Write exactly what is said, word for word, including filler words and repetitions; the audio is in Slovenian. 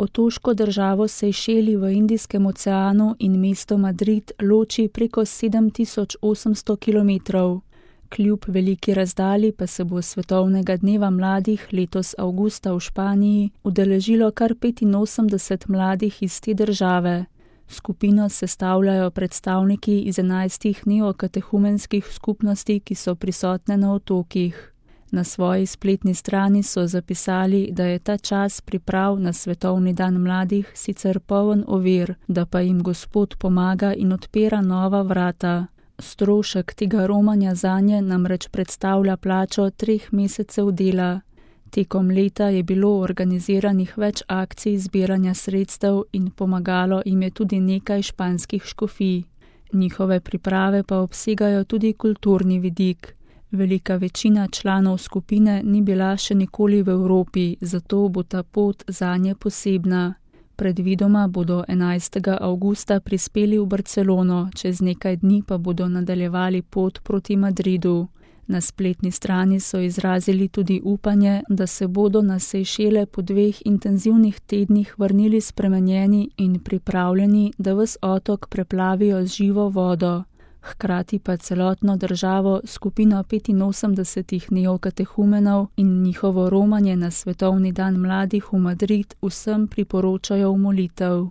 Otoško državo Sejšeli v Indijskem oceanu in mesto Madrid loči preko sedem tisoč osemsto kilometrov. Kljub veliki razdalji pa se bo svetovnega dneva mladih letos avgusta v Španiji udeležilo kar petinosemdeset mladih iz te države. Skupino sestavljajo predstavniki iz enajstih neokatehumenskih skupnosti, ki so prisotne na otokih. Na svoji spletni strani so zapisali, da je ta čas priprav na svetovni dan mladih sicer poln ovir, da pa jim Gospod pomaga in odpira nova vrata. Strošek tega romanja zanje namreč predstavlja plačo treh mesecev dela. Tekom leta je bilo organiziranih več akcij zbiranja sredstev in pomagalo jim je tudi nekaj španskih škofij. Njihove priprave pa obsegajo tudi kulturni vidik. Velika večina članov skupine ni bila še nikoli v Evropi, zato bo ta pot zanje posebna. Predvidoma bodo enajstega avgusta prispeli v Barcelono, čez nekaj dni pa bodo nadaljevali pot proti Madridu. Na spletni strani so izrazili tudi upanje, da se bodo na Sejšele po dveh intenzivnih tednih vrnili spremenjeni in pripravljeni, da ves otok preplavijo z živo vodo. Hkrati pa celotno državo, skupino petinosemdesetih neokatehumenov in njihovo romanje na svetovni dan mladih v Madrid vsem priporočajo v molitev.